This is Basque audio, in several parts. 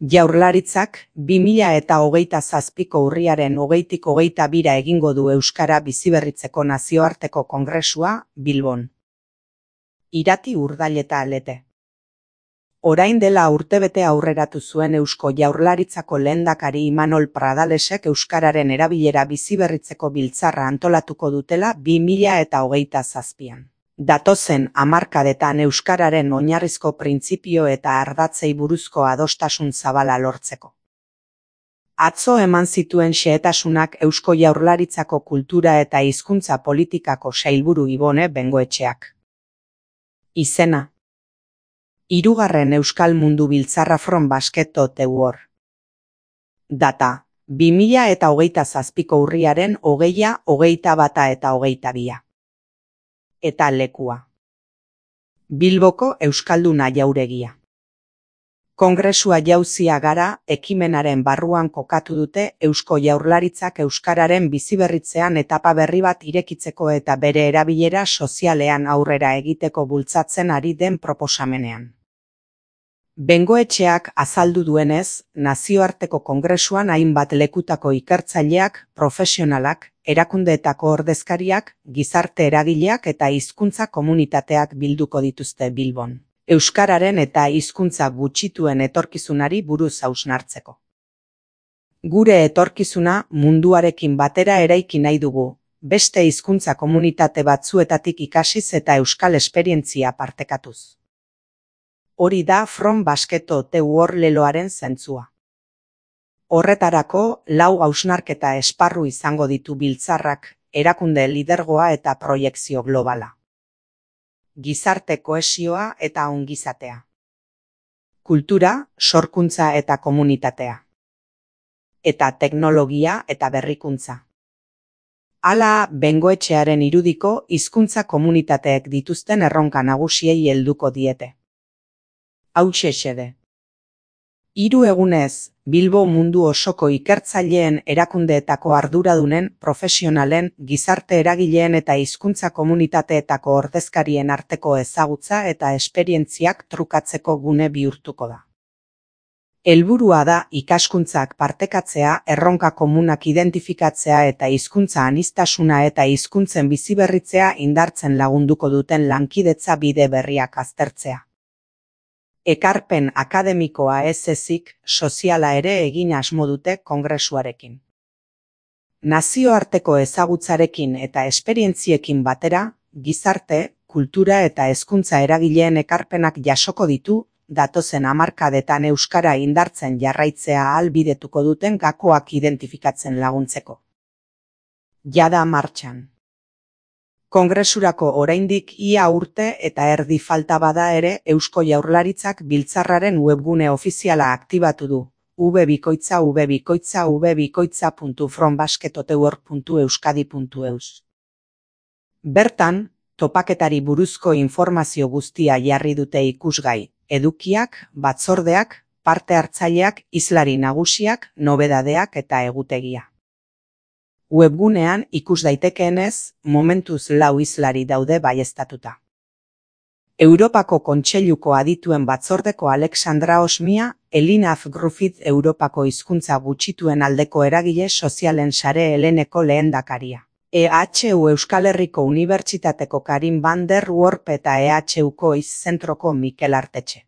Jaurlaritzak 2027ko urriaren 20tik 22ra egingo du Euskara biziberritzeko nazioarteko kongresua Bilbon. Irati Urdaileta Lete. Orain dela urtebete aurreratu zuen Eusko Jaurlaritzako lehendakari Imanol Pradalesek euskararen erabilera biziberritzeko biltzarra antolatuko dutela 2027an. Datozen hamarkadetan euskararen oinarrizko printzipio eta ardatzei buruzko adostasun zabala lortzeko. Atzo eman zituen xehetasunak Eusko Jaurlaritzako kultura eta hizkuntza politikako sailburu Ibone Bengoetxeak. Izena: Hirugarren Euskal Mundu Biltzarra from Basket to the War. Data: 2027ko urriaren 20a, 21a eta 22a. Eta lekua: Bilboko Euskalduna Jauregia. Kongresua jauzia gara ekimenaren barruan kokatu dute Eusko Jaurlaritzak euskararen biziberritzean etapa berri bat irekitzeko eta bere erabilera sozialean aurrera egiteko bultzatzen ari den proposamenean. Bengoetxeak azaldu duenez, nazioarteko kongresuan hainbat lekutako ikertzaileak, profesionalak, erakundeetako ordezkariak, gizarte eragileak eta hizkuntza komunitateak bilduko dituzte Bilbon, euskararen eta hizkuntza gutxituen etorkizunari buruz hausnartzeko. Gure etorkizuna munduarekin batera eraiki nahi dugu, beste hizkuntza komunitate batzuetatik ikasiz eta euskal esperientzia partekatuz. Hori da From Basket to the War leloaren zentzua. Horretarako, 4 hausnarketa esparru izango ditu biltzarrak, erakunde lidergoa eta proiekzio globala. Gizarte kohesioa eta ongizatea. Kultura, sorkuntza eta komunitatea. Eta teknologia eta berrikuntza. Hala, Bengoetxearen irudiko hizkuntza komunitateek dituzten erronka nagusiei helduko diete. Hauxe xede. 3 egunez, Bilbo mundu osoko ikertzaileen, erakundeetako arduradunen, profesionalen, gizarte eragileen eta hizkuntza komunitateetako ordezkarien arteko ezagutza eta esperientziak trukatzeko gune bihurtuko da. Helburua da ikaskuntzak partekatzea, erronka komunak identifikatzea eta hizkuntza aniztasuna eta hizkuntzen biziberritzea indartzen lagunduko duten lankidetza bide berriak aztertzea. Ekarpen akademikoa ez ezik, soziala ere egin asmo dute kongresuarekin. Nazioarteko ezagutzarekin eta esperientziekin batera, gizarte, kultura eta hezkuntza eragileen ekarpenak jasoko ditu, datozen hamarkadetan euskara indartzen jarraitzea ahalbidetuko duten gakoak identifikatzen laguntzeko. Jada martxan. Kongresurako oraindik ia urte eta erdi falta bada ere Eusko Jaurlaritzak biltzarraren webgune ofiziala aktibatu du, www.frombasketothework.euskadi.eus. Bertan, topaketari buruzko informazio guztia jarri dute ikusgai, edukiak, batzordeak, parte hartzaileak, hizlari nagusiak, nobedadeak eta egutegia. Webgunean ikus daitekeenez, momentuz 4 hizlari daude baieztatuta. Europako Kontseiluko adituen batzordeko Alexandra Osmia, Elinaf Griffith Europako hizkuntza gutxituen aldeko eragile sozialen sare heleneko lehendakaria. EHU Euskal Herriko Unibertsitateko Karin van der Worp eta EHUko Zentroko Mikel Artetxe.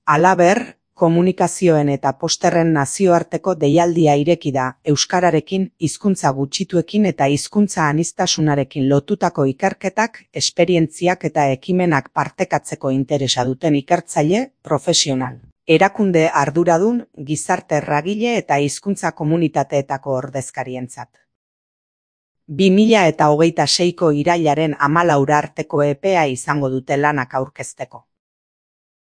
Halaber, komunikazioen eta posterren nazioarteko deialdia ireki da, euskararekin, hizkuntza gutxituekin eta hizkuntza aniztasunarekin lotutako ikerketak, esperientziak eta ekimenak partekatzeko interesa duten ikertzaile, profesional, erakunde arduradun, gizarte eragile eta hizkuntza komunitateetako ordezkarientzat. 2026ko irailaren 14 arteko epea izango dute lanak aurkezteko.